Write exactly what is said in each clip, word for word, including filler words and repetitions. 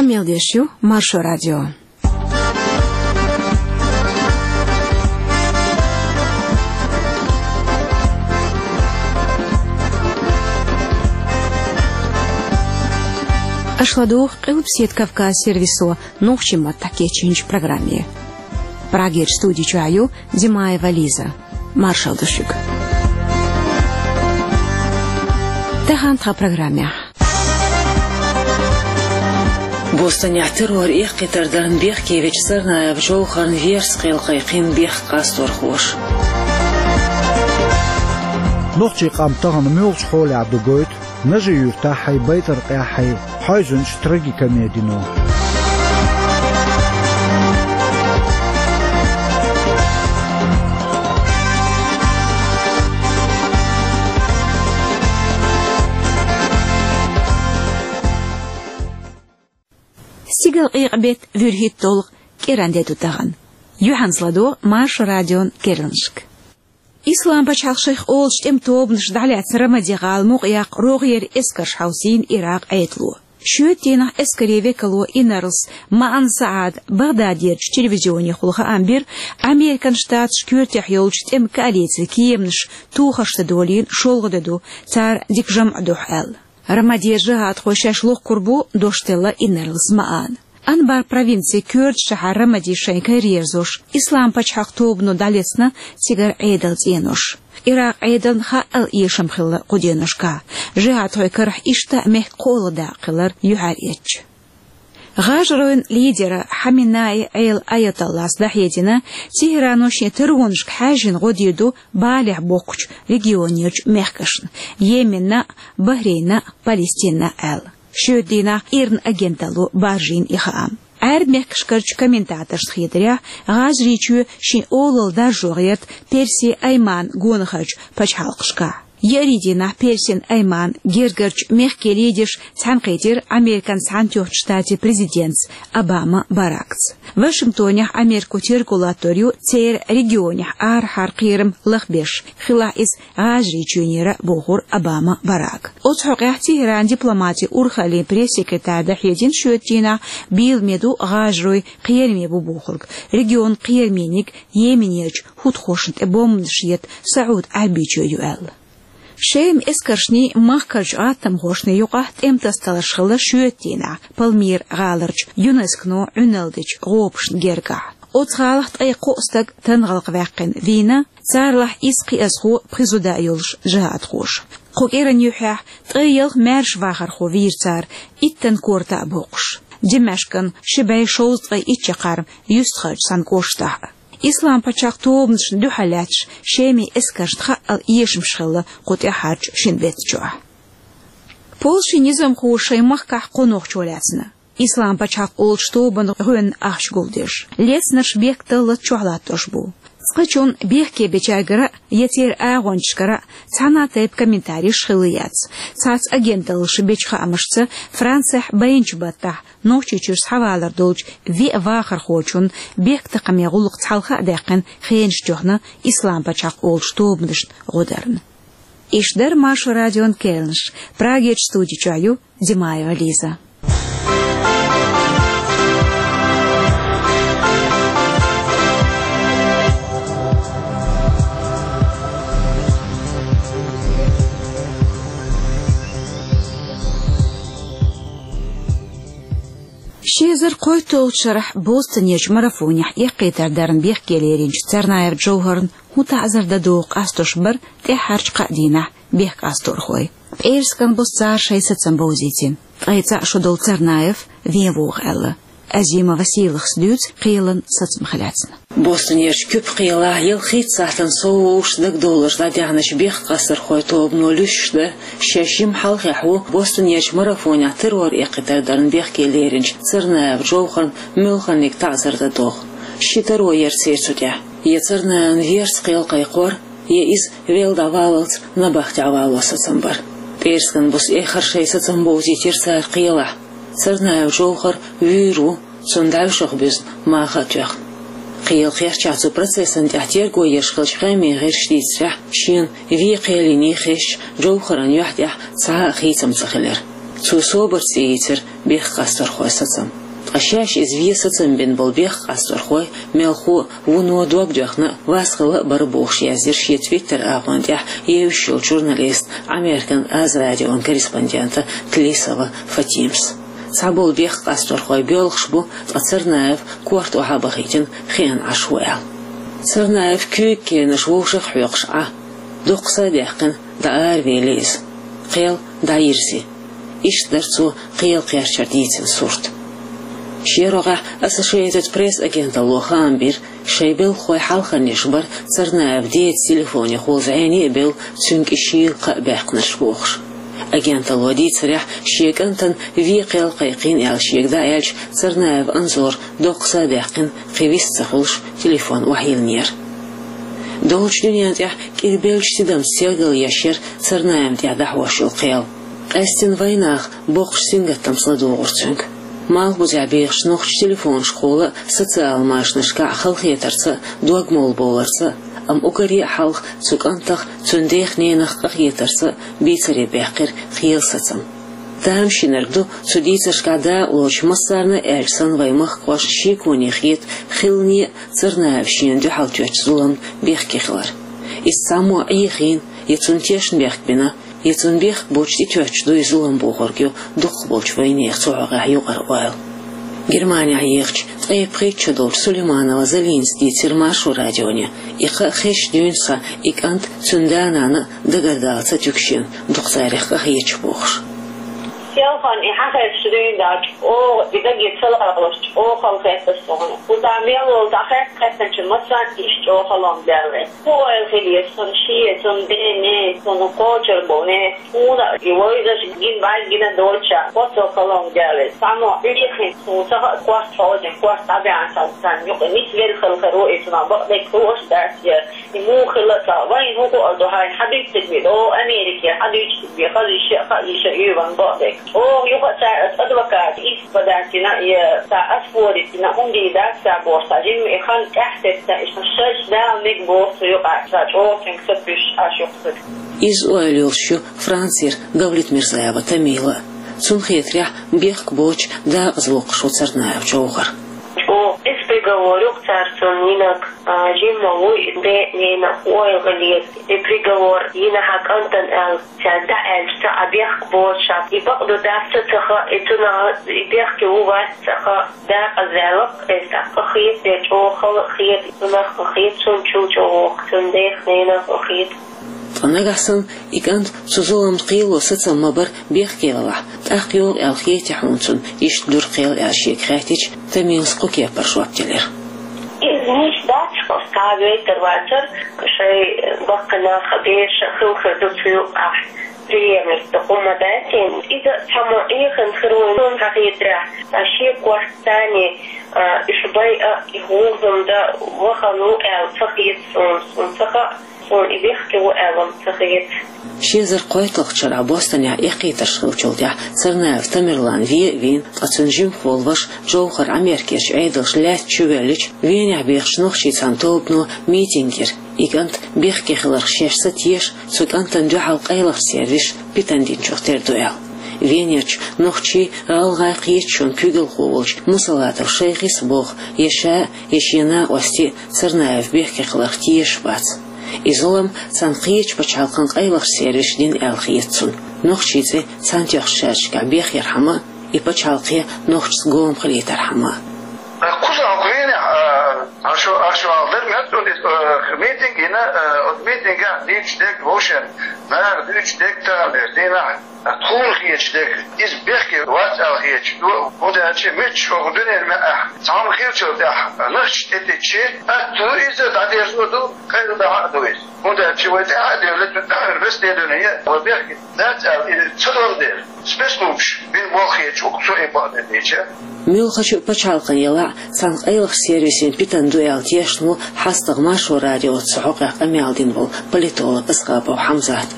Къамел деш ю Маршо радио. Аша ладугӀу Къилбаседа Кавказ сервисо нохчийн маттахь кечйинчу программе. Прагерчу студи чохь ю Димаева Лиза. Маршалла ду шуьга. Тахана тхан программехь. Бостонехь террор эккхийтар дарна бехке вечу Царнаев Джовхарна верца кхел кхайкхина бехк къасторхоша. Нохчийн къам тахана муьлхачу хьолехь ду гойту Нажи-Юьртахь а, Байтаркъехь а хьаьвзинчу трагикомедино. Стигала къекъа беттан вуьрхӀитта долу кӀиран де ду тахана. Юьхьанца ладогӀа Маршо радион керланашка. Ислам-пачхьалкх шайх олучу тӀеман тобанашна дӀалаьцна Рамади-гӀала мукъаяккха рогӀера эскарш хьовсийна Иракъ Ӏедало. Шоьтан дийнахь эскарийн векало инарлас Маан Саад Багъдадерчу телевизионехула хаам бира, Американ Штаташ коьртехь йолчу тӀеман коалицин кеманаш тухарш дан долийна шолгӀа де ду, цара дика жамӀ дуьхьа аьлла. Рамадин жихӀадхой шаьш лохкур бу, дош делла инарлас Маана. Анбар провинцин коьртачу шахьар Рамади шайн кара ерзош, Ислам-пачхьалкх тобано дӀалецна цигара Ӏедалан цӀенош. Иракъ Ӏедална хаъал эшам хилла кху деношкахь, жихӀадхойн карахь иштта мехкан кхоалгӀа дакъа хилар юьхьар эцча. ГӀажаройн лидера Хаменеи Ӏела Аятоллас дӀахьедина, Тегерано шен таронашка хьаьжжина гӀо дийр ду балехь боккхучу регионерчу мехкашна, Йеменна а, Бахрейнна а, Палестинна а аьлла. Шоьтан дийнахь ИРНА агенталло баржийна и хаам. Ӏаьрбийн мехкашкарчу комментаторшна хетарехь, ГӀажарийчоь шен олалла даржо гӀерта Персин Айман гонахарчу пачхьалкхашкахь. Еарин дийнахь Персин Айман гергарчу мехкийн лидерш цхьаьнакхийтира Американ Цхьаьнатоьхначу Штатийн президентца Обама Баракца. Вашингтонехь Америко терго латтор ю церан регионехь арахьара кхерам лахбеш, хилахь иза ГӀажарийчоьнера, бохура Обама Барака. Оцу хьокъехь Тегеранан дипломатин урхаллин пресс-секретарь дӀахьедина шоьтан дийнахь, бийламе ду ГӀажарой кхераме бу бохург, регионан кхерамийниг Йеменерчу хӀутхошна тӀе бомбанаш ета СаӀуд-Ӏаьрбийчоь ю аьлла. Шеман эскаршний махкарчу гӀаттамхошний юкъахь тӀеман тасадаларш хилла шоьтан дийнахь Пальмира гӀаларчу ЮНЕСКОно Ӏуьналла дечу гӀопашна гергахь. Оцу гӀалахь ткъе кхо стаг тангӀалкхваьккхина вийна, царалахь исс кхиазхо, пхи зуда йолуш жихӀадхоша. Кху кӀиран юьххьехь ткъе ялх маьрша вахархо вийра цара, иттан корта а боккхуш. Димашкан ши бӀе шовзткъе итт чаккхарма юьстахарчу цхьана кӀоштахь а. Ислам-пачхьалкх тобанашна дуьхьал лаьтташ Шеман эскаршна хаъал эшамаш хилла кху тӀаьххьарчу шина беттачохь. Польшин низамхоша шайн махкахь кхо нохчо лаьцна. Ислам-пачхьалкх олучу тобанан гӀоьнна ахча гулдеш. Лецнарш бехк даллалц чохь латтош бу. Цкъачунна бехке бечаьргара а, я церан агӀончашкара а цхьана а тайпа комментареш хилла яц. Цхьацца агенталлаша бечу хаамашца, Францехь байначу баттахь Нохчийчуьра схьавалар долчу виъ вахархочунна бехктакхаман гӀуллакхца хьалха а даьккхина хенаш тоьхна Ислам-пачхьалкх олучу тобанашна гӀо дарна. Иштта дара Маршо радион керланаш. Прагерчу студи чохь ю Димаева Лиза. Ши эзар кхойтталгӀачу шарахь Бостонерчу марафонехь эккхийтар дарна бехке леринчу Царнаев Джовхарна хӀун таӀзар дан догӀу къастош бара тӀаьххьарчу кхаа дийнахь бехк къасторхой. ПӀераскан буса цара шайн сацам бовзийтина. Ткъе цхьаъ шо долу Царнаев вен вогӀу аьлла. Азима Василас дуьйцу кхелан сацамах лаьцна. Бостонерчу Куьпа кхелахь ялхитта сахьтана сов вовшашца дагадовларш дӀадаьхначу бехк къасторхойн тобано луьстуш дан шаьш жимма хьалхехь ву Бостонерчу марафонехь террор эккхийтар дарна бехке леринчу Царнаев Джовхарна муьлханиг таӀзар дан догӀу. Ши таро яра церан цу тӀехь: я Царнаевн верца кхел кхайкхор, я иза велла дӀаваллалц набахтехь вало сацам бара. ПӀераскан буса эххар шайн сацам бовзийтира цара кхелахь. Царнаев Джовхар вуьйр ву, цунна дӀаьвшах буьзна маха а тоьхна. Кхелан кхерчахь цу процессан тӀехь терго еш хиллачу къеман гӀирсаша дийцарехь, шена вен кхел йиний хезча, Джовхаран юьхь тӀехь цхьа а хийцам ца хилира. Цо «Собар» цӀе йийцар бехк къасторхойн сацам. Ткъа шаьш иза вен сацам бина болу бехк къасторхой, мелхо а, вуно а дог доьхна, васт хилла а бара бохуш, яздира шен Twitter-агӀон тӀехь евзаш йолчу журналиста, Американ Аз радион корреспондента Тлисова Фатимас. Цхьаболу бехк къасторхой боьлхуш бу, ткъа Царнаев корта охьа а бахийтина, хиъна Ӏаш ву аьлла. Царнаев куьйга кенаш вовшах а хьоькхуш Ӏа, доккха са а даьккхина, дӀааравели иза. Кхел дӀайирзи. Иштта дара цо кхел кхерчар дийцина сурт. Шен рогӀехь Associated Press агенталло хаам бира, шайн белхахой хьалхарниш бара Царнаев деда телефонехула зӀене а бевлла, цуьнга и шийла кхаъ баьккхинарш бохуш. Агенталло дийцарехь, шен кӀантана вен кхел кхайкхийна аьлла шега дӀааьлча, Царнаев Анзора доккха са а даьккхина, кхин вист ца хуьлуш, телефон охьайиллинера. Долчу дуьнен тӀехь кӀирбеллачу тидамца сергалъеш яра Царнаевна тӀехь дӀахьош йолу кхел. Къаьстина вайнаха боккхачу сингаттамца ладугӀура цуьнга. Малхбузехь бехачу нохчаша телефонашкахула а, социал машанашкахь а халахетарца а, дог молла бовларца а, амма уггаре а хьалха цу кӀантах, цуьнан дех-ненах къахетарца а бийцаре баьккхира кхелан сацам. Тамашийнарг ду, цу дийцаршкахь дакъалоцуш массарна а аьлча санна, вайн махкахошна шеконе хета хиларна а, Царнаевс шена дуьхьал тоьттучу зуламна бехке хилар. Иза цхьаммо Ӏехийна, я цунна тешнабехк бина, я цунна бехк боцуш тӀетоьттуш ду и зулам бохург ю дукхахболчу вайнехан цу хьокъехь юкъара ойла. Германехь ехачу ткъе пхийтта шо долчу Сулейманова Залинас дийцира Маршо радионе, и кхаъ хезча дуьйна схьа и кӀант а, цуьнан да-нана а дагардала ца туьгу шена, дукха царех къахеташ бохуш. Селхана и хьан хезча дуьйна дац, оха и даге ца лалуш, оха хала хетта суна. Кхузахь мел волу дӀахаьттича массарна иштта чӀогӀа халонга даьлла. ХӀун ойла хилла еза цунна шен, цунна ден, нен, цунна кхочур болу нехан, хӀунда и вайзаш гина бӀаьрг гина долча, хӀоцо халонга даьлла. Цхьаммо Ӏехийна, суна ца хаьа, корта хьожийна, корта дӀабаьхьна санна, царна юкъа нисвелла хала хир ву и, цунах бакъдерг хууш дац я, и муха хилла а ца хаьа, вайна хӀун хуур ду хьайна, хьан дуьйцург бен, о, Америке, хьан дуьйцург бен, хаза йиш ян, хаа йиш ян, оьван бакъдерг. Оха юха а цара аса адвокат, ис бадаьхкина, я ца ас форитина, хӀунда дац ца бохуш, сан жимма и хан тӀаьхьа сецна, иштта шаьш Дала мега боху цу юкъахь, сан чӀогӀа цуьнга са пуьш Ӏаш юкъа. Иза ойла йолуш ю Францера Давлетмирзаева Тамила а. Цунна хетарехь, бехк боцуш дакъаза воккхуш ву Царнаев Джовхар. ЧӀогӀа кӀезиг приговор ю-кх цара цунна йинарг, а, жимма вуй и ден а, ненан а ойла хилийта. И приговор йина хьан кӀантана аьлла. Цара дӀааьлча, ца Ӏа бехк боцуш, и бакъду дац а ца хаьа, и цунах и бехке ву вац а ца хаьа, дакъаза ваьлла-кх иза, тӀаккха хета, я чӀогӀа хала а хета, цунах а хета, цунна чу чӀогӀа воккху, цунна дех-ненах а хета. Ткъа нагахь санна и кӀант цу зуламна кхело сацам ма-барра бехке велахь, тӀаккха йогӀу аьлла хетий хьуна цунна иштта дуьра кхел аьлла шега хаьттича, Тамилас кху кепара жоп делира. Иза нийса дац, оцу цхьа а вейтар вацара, шайн баккхий нах а, бераш а хила хир ду цу юкъахь, преемник ду хӀума дац. Иза цхьаммо Ӏехийна хир ву суна хетарехь, ткъа шен корта царна, а, уьш байъа а, и хӀума дан вахана ву аьлла ца хета суна, суна ца хаьа, суна и бехке ву аьлла ца хета. Ши эзар кхойтталгӀачу шарахь Бостонехь эккхийтарш хиллачул тӀаьхьа Царнаев Тамерлан вен а вийна, ткъа цуьнан жимахволу ваша Джовхар Ӏамеркерчу Ӏедалша лаьтта чу воьллича, Венехь бехачу нохчийн цхьана тобано митинг йира, и кӀант бехке хиларх шаьш ца теша, цу кӀантана дуьхьал къайлахчу сервисаша питана динчух тера ду аьлла. Венерчу нохчийн, гӀалгӀайн кхеташонан куьйгалхо волчу Мусалатов Шайхис а боху, я ша а, я шен накъостий а Царнаев бехке хиларх тешаш бац. И зулам цхьана кхечу пачхьалкхан къайлахчу сервисаша дина аьлла хета цунна. Нохчийн цӀе цхьаьнатоьхначу шарахь бехъярхьама а, и пачхьалкхе нохчашца гома хилийтархьама а. Кхузахь Венехь, а, аша, аша вала дара меттан, а, митинг йина, а, оцу митингехь дуьйцуш дерг вовшашна, наха дуьйцуш дерг тахана дерг дийнахь, а, тхуна хеташ дерг, иза бехке вац аьлла хеташ ду, хӀунда аьлча муьлххачу хӀокху дуьненан маьӀӀехь цхьамма хиллачул тӀаьхьа нохчашна тӀететташ, атта ду иза, дӀадерзо ду, къайладахьа а ду иза. ХӀунда аьлча вай тӀаьхьа а девлла, расследование вай бехке дац аьлла, и ца долу дела, спецслужбаша бина болх хеташ ву-кх цо и бакъдерг дийцича. Муьлххачу пачхьалкхана елахь а, цхьана къайлахчу сервисана питана ду аьлла тешна ву хьастагӀа Маршо радиоца цу хьокъехь къамел дина волу политолог Асхабов Хьамзат.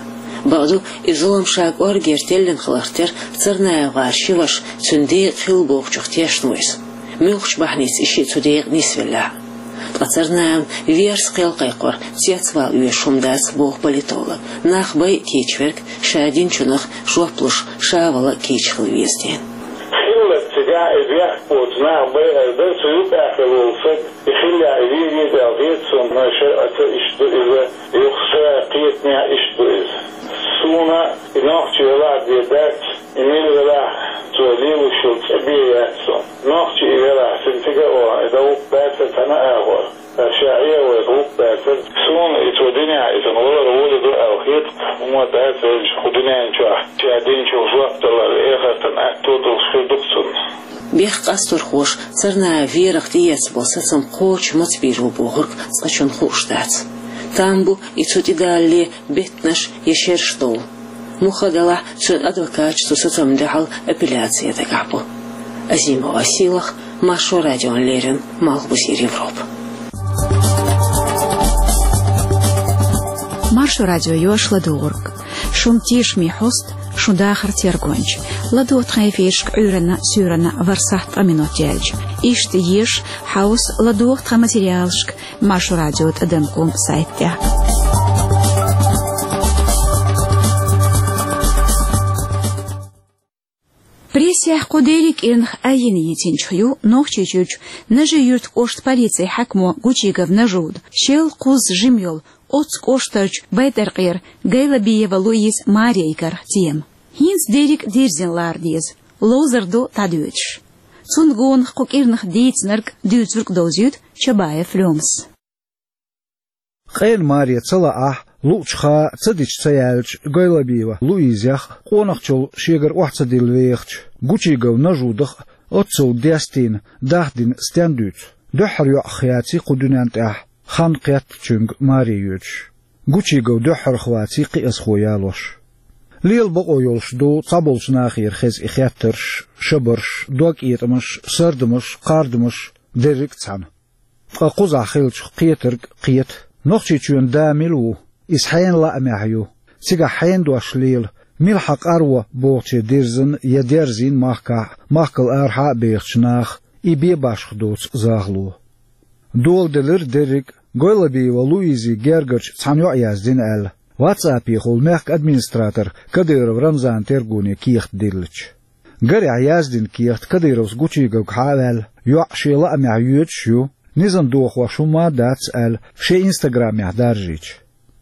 Бакъду, и зулам ша кӀоргера теллина хиларх тера ЦарнаевгӀара ши ваша цуьнан декъа хилла бохучух тешна ву иза. Муьлххачу бахьаница и шиъ цу декъа нисвеллехь а. Ткъа царна а верас кхел кхайкхор цецвала оьшуш хӀума дац, боху политолог. Нах бай кийча верг ша динчунах жоп луш, ша вала кийча хила веза дела. Хилларг цигахь и бехк боцу нах бай ар дара, цу юкъахь хила волу стаг и хиллехь и вийр веза аьлла хета суна, но шарӀаца иштта ду иза, юха ша кхетамехь иштта ду иза. Суна и нохчи велахь бен дац, и мила велахь, цо лелош йолу цӀе бен яц суна. Нохчи и велахь, цуьнан цига а вахана, и дан вукху бацара цхьана а агӀор. Ша Ӏехавайта вукху бацара. Суна и цо динехь, и цунна валар гӀоли ду аьлла хета, хӀума дац вайчу кху дуьнен чохь, ша динчух жоп далар, эхартан аьтто долуш хир ду-кх цунна. Бехк къасторхоша царна а верах тӀеэцна болу сацам кхочуш маца бийр бу бохург цкъачунна хууш дац. Там бу и цу тӀедалале беттанаш я шераш довла. Муха делахь, цуьнан адвокаташ цу сацамна дуьхьал апелляци ян дагахь бу. Азимова Силах, Маршо радиона леррина, Малхбузера Европа. Маршо радио йош ладугӀург. Шун тешаме хьоста, шун дахар тергонча. ЛадогӀа тхан эфиршка Ӏуьйранна, суьйранна ворхӀ сахьт ткъа минот яьлча. Иштта еша, хьовса, ладогӀа тхан материалшка Маршо радио тӀадам ком сайт тӀехь. Прессехь кху дерриг кӀирнах айина йитинчух ю Нохчийчуьрчу Нажи-Юьртан кӀоштан полицин хьаькамо Гучигов Нажуда, шел кхузза жима йолу оццу кӀоштарчу Байтаркъера Гайлабиева Луиза Мария йигара тема. ХӀинца дерриг а дирзина лара деза, ловзар ду дӀадоьдуш. Цунна гонах кху кӀирнах дийцинарг, дуьйцург довзуьйту Чабаев Лёмас. Къена маре ца лаахь, луъучу хан ца дича ца яьллачу Гайлабиева Луизех, къонахчалла шегара охьа ца дилла вехачу Гучигов Нажудах оццул дестийна, дахдина стен дуьйцу? Дуьххьара йоӀах яций кху дуьнен тӀехь, хан кхеттачуьнга маре йоьдуш. Гучигов дуьххьарх ваций кхиазхо ялош. Лела бакъо йолуш ду цхьаболчу нахера хеза и хеттарш, шабарш, догкъетамаш, сардамаш, кхардамаш, дерриг а цхьаьна. Ткъа кхузахь хиллачух кхетарг кхета. Нохчийчоьнан да мила ву? Иза хьенан лаамехь ю? Цигахь хьенан дош лела? Мила хьан къарво бохуче дирзина я дерзийна махкахь а, махкал арахьа а бехачу наха и бен башха доцу захало? Доладелира дерриг а, Гойлабиева Луизин гергарчу цхьана йоӀа яздина аьлла, ватсапехула мехкан администратор Кадыров Рамзанан тергоне кехат диллича. Гарехь яздина кехат Кадыровс Гучиговга хьа а ваьлла, йоӀ шен лаамехь йоьдуш ю, низам дохош хӀумма а дац аьлла, шен инстаграмехь даржийча.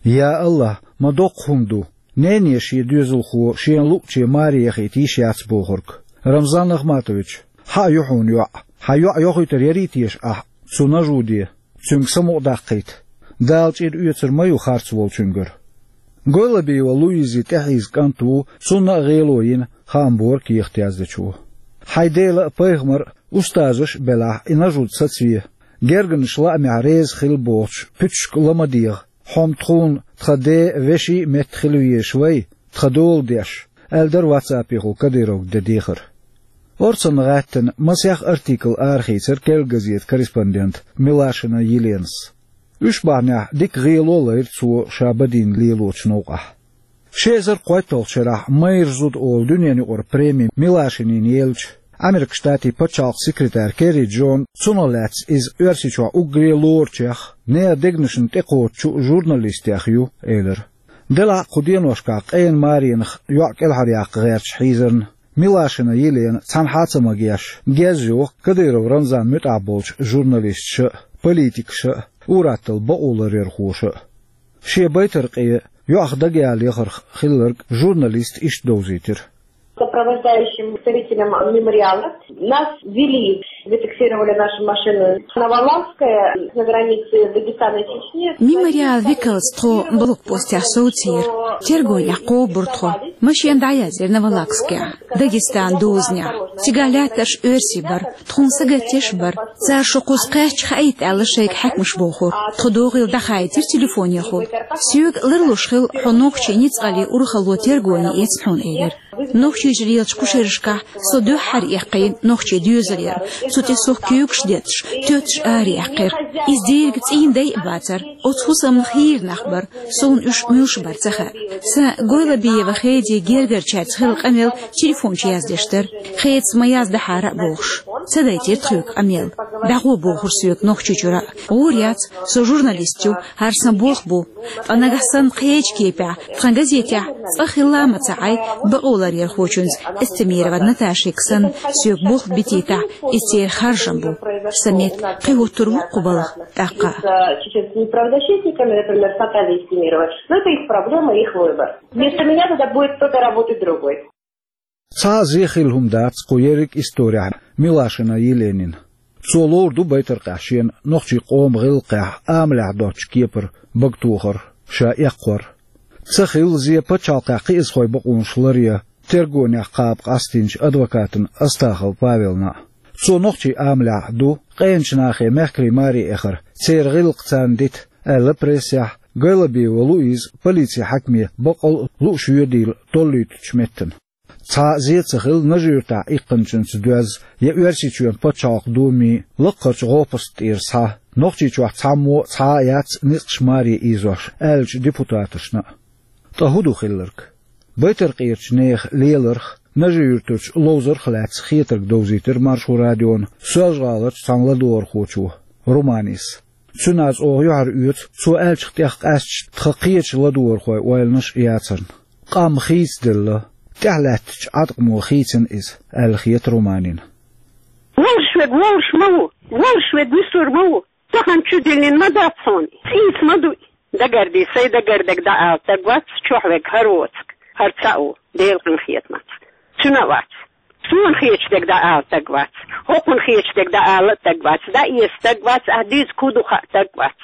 Я АллахӀ, ма доккха хӀума ду, нене шен доьзалхо шена луъуче маре яхийта йиш яц бохург. Рамзан Ахматович, хьан а ю хьуна йоӀ, хьан йоӀ йохуьйтур ярий теша ахь цу Нажуде, цуьнга самукъадаккхийта? Дала чӀир оьцур ма ю харц волчуьнгара. Гойлабиева Луизин тӀехьийза кӀант ву, цунна а гӀело йина, хаам бора кехат яздечо. Хьайн дела а, пайхамар а, устазаш а белахь, и Нажуд сацаве. Гергарнаш лаамехь реза хилла бохучу пуьташка ла ма дегӀа. Хьо-м тхуна тхан ден вешин а метта хила везаш вай, тхан дола деш, аьлла дара ватсапехула Кадыровга ден дехар. Орцанна гӀаьттина масех артикл арахийцира «Керла газетан» корреспондента Милашина Еленас. Уьш бахьанехь дика гӀело а лайра цо ша бадийна лелочу новкъахь. Ши эзар кхойтталгӀачу шарахь «Майра зуда» олу дуьненаюкъара преми Милашинина елча, Американ Штатийн пачхьалкхан секретарь Керри Джона цунах лаьцна иза Оьрсийчохь уггаре лоручех, нехан дегнашна тӀекхочучу журналистех ю элира. Делахь а кху деношкахь къена маренах йоӀ кӀелхьаръяккха гӀерташ хьийзарна, Милашина Елена цхьанхьа а ца магош, гезйоху Кадыров Рамзанна муьтӀахь болчу журналисташа а, политикаша а, ур-атталла бакъоларъярхоша а. Шен Байтаркъе йоӀах дагаяла яхарх хилларг журналиста иштта довзийтира. Сопровождающим представителям мемориала нас вели, зафиксировали наши машины на Валаамская, на границе Дагестана и Чечни. Мемориалан векалца тхо блокпостехь совцийра. Тергонехь кхобура тхо. Машен дӀаяздира Новолакскехь, Дагестанан дозанехь. Цигахь лаьттарш оьрсий бара. Тхуна сагатдеш а бара. Цара шу кхуза кхаьчча хаийта аьлла шайга хьаькамаша бохура. Тхо догӀийла дӀахаийтира телефонехула. Соьга ларлуш хилла хьо нохчийн ницкъаллин урхалло тергоне эцна хьуна элира. Нохчийчуьра лелачу кху шерашкахь со дуьххьара эккхийна нохчийн доьзал яра. Цу тӀе сох куьйгаш детташ, тоьтташ араэккхира. Иза дерриг цӀийнан дай а бацара. Оцу хӀусамнах хийра нах бара. Суна уьш муьлш бара ца хаьа. Сан Гойлабиева Хедин гергарчаьрца хилла къамел телефон чу яздеш дара. Хедас ма яздахьара а бохуш. Ца дайтира тхоьга къамел. ДӀагӀо бохура соьга Нохчийчуьра. ГӀур яц, со журналист ю, хӀара сан болх бу. Ткъа нагахь санна кхечу кепехь, тхан газетехь цӀа хилла а ма ца Ӏай, бакъо ларъярхочуьнца Эстемирова Наташига санна, соьга болх битийтахь, иза церан харжам бу. Сан метта, кхин хӀуттур ву кху балха тӀаккха. С чеченскими правозащитниками, например, с Натальей Эстемировой. Но это их проблема, их выбор. Вместо меня туда будет кто-то работать другой. Цхьа а зе хилла хӀума дац кху ерриг исторехь Милашина Еленин. Цо ловр ду байтаркъехь шена нохчийн къоман гӀиллакхехь амалехь доцчу кепара багатохар, ша эккхор. Ца хилла зе пачхьалкхехь кхиазхойн бакъонаш ларъян тергонех кхаба къастийначу адвокатана Астахов Павелна а. Цо нохчийн амалехь ду къеначу нахе мехкарийн маре эхар, церан гӀиллакх царна дита аьлла прессехь, Гайлабиева Луиза полицин хьаькаме баккъал а лууш воьдийла толлуьйтучу меттана. Цхьа а зе ца хилла Нажи-Юьртахь иккхинчуьнца доьзна я Оьрсийчоьнан пачхьалкхан Думин лакхарчу гӀопаста тӀера схьа, Нохчийчохь цхьаммо а цхьа а яц ницкъаш маре ийзош, аьллачу депутаташна а. Ткъа хӀун ду хилларг? Байтаркъерчу нехан леларх, Нажи-Юьртарчу ловзарх а лаьцна хетарг довзийтира Маршо радиона Соьлжа-ГӀаларчу цхьана ладогӀархочо Руманис. Цуьнан аз оха юьхьар оьцу, цо аьллачух тӀех къаьсташ тхан кхечу ладогӀархойн ойланаш а яцарна. Къам хийцаделла, тӀаьхьалаьттачу Ӏаткъамо хийцина иза, аьлла хета Руманина. Волуш верг волуш ма ву, волуш верг вуьсур ма ву, тахана чу диллина ма дац хьуна, цӀийца ма ду и. Дагардий, сайн дагардерг дӀаала стаг вац, чохь верг хӀара воцург, хӀара цхьаъ ву, Делан къинхетамца. Цуьнан а вац. Суна хеташ дерг дӀаала стаг вац, хӀокхунна хеташ дерг дӀаала а стаг вац, дӀаэца стаг вац, ахь дуьйцург хӀун ду хаа стаг вац.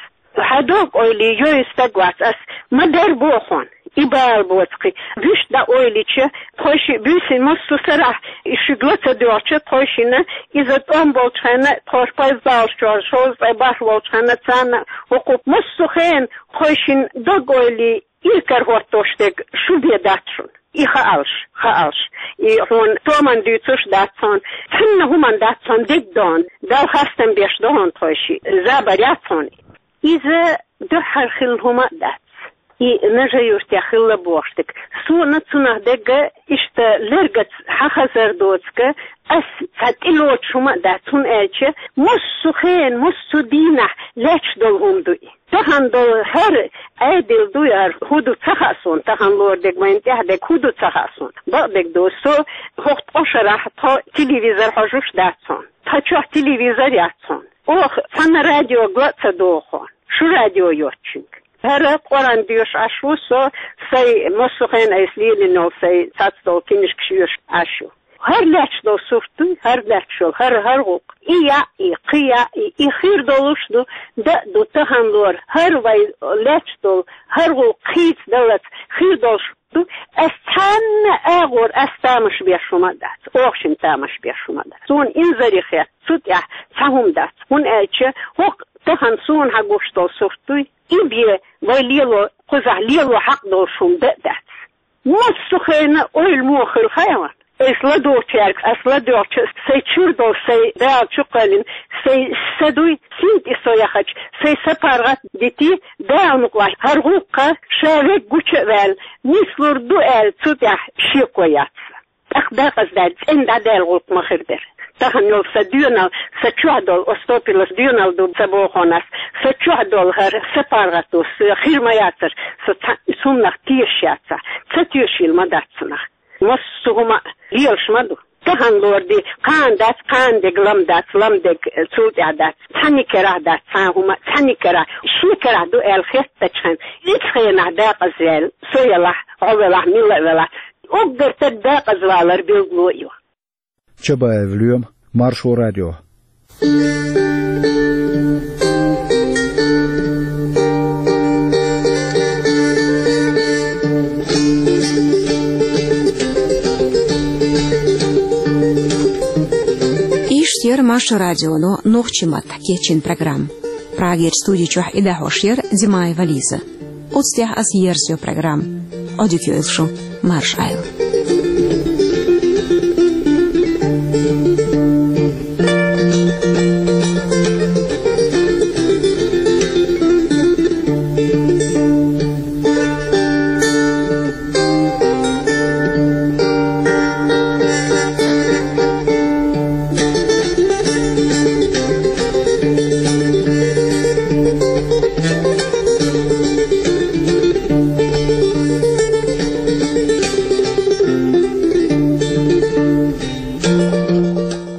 Хьан дог-ойла йойу стаг вац ас, ма дер боху хьуна, и бала боцу кхин. Вуьшта дӀаойлича, тхойшиъ буьйсина массо а сарахь, и шуьга ла ца доьгӀча, тхойшинна иза тӀом болчу хенна, тхойша пайза даллалц чохь шовзткъе бархӀ волчу хенна, царна хӀокху массо а хенахь тхойшинна дог-ойла иракарахӀоттош дерг шу бен дац шуна. И хаалаш, хаалаш. И хьуна томан дуьйцуш дац хьуна, цхьанна хӀуманна дац хьуна дегдон, Далла хастам беш ду хьуна тхойшиъ, забар яц хьуна. Иза дуьххьара хилла хӀума а дац. И Нажи-Юьртехь хилла бохуш дерг. Суна цунах дерг иштта лергаца хьан хазар доцург, ас цхьа тӀелоцуш хӀума а дац, хӀунда аьлча массо а хенахь, массо а дийнахь лаьтташ долу хӀума ду и. Тахана долу хӀара Ӏедал дуй, хӀара хӀун ду ца хаьа суна, тахана лору дерг, вайна тӀехь дерг хӀун ду ца хаьа суна. Бакъдерг ду, со хӀокху ткъа шарахь тхо телевизор хьожуш дац хьуна. Тхан чохь телевизор яц хьуна. Оха цхьана радиога ла а ца догӀу хьуна, шу радио йоцучуьнга. ХӀара Къуръан доьшуш Ӏаш ву со, сайн массо а хенахь айса лелийна йолу сайн цхьацца долу кинишкаш йоьшуш Ӏаш ю. ХӀара лаьтташ долу сурт дуй, хӀара лаьтташ йолу, хӀара, хӀара гӀуллакх. И яа, и кхин яа, и, и хир долуш ду, дан а ду, тахана лору, хӀара вай лаьтташ долу, хӀара гӀуллакх хийцадаллалц хир долуш ду. Ас цхьанна агӀор ас тамаш беш хӀума а дац, оха шина тамаш беш хӀума а дац. Суна инзаре хетта цу тӀехь цхьа хӀума дац, хӀунда аьлча хӀокху тахана суна хьан гуш долу сурт дуй, и бен вай лело, кхузахь лело хьакъ долуш хӀума дан а дац. Массо а хенахь ойла муха хилла хаьа ван? Айса ладогӀучаьрга ас ладоьгӀча, сайн чуьра долу сайн Дала чу кхоьллина, сайн са дуй, синтӀе со яхача, сайн са паргӀат дитий, Дала мукъалахь, хӀара гӀуллакх ша верг гуча а ваьлла, нислур ду аьлла, цу тӀехь шеко яц. ТӀаккха декъаза даьлла, цӀена дӀадаьлла гӀуллакх ма хир дара. Тахана йолу сан доьналла, сан чохь долу, Остопилас доьналла ду ца боху ас, сан чохь долу хӀара сан паргӀато, сан хир ма яцара, со цхьа хӀуманах тешаш яцахь, ца тешийла ма дац цунах. Массо а хӀума лелаш ма ду. Тахана лору ди, кхана дац, кхана дерг лам дац, лам дерг цул тӀаьхьа дац. Цхьанна карахь дац цхьа хӀума, цхьанна карахь, шен карахь ду аьлла хеттачхьана, ицу хенахь декъаза ваьлла, со елахь, хьо велахь, мила а велахь, уггар стаг декъаза валар билгало а ю. Чабаев Лоьма, Маршо радио. Иштта яра Маршо радионо нохчийн маттахь кечйина программа. Прагерчу студи чохь и дӀахьош яра Димаева Лиза. Оцу тӀехь ас ерзайо программа. Ӏодика йойла шу, марша Ӏойла.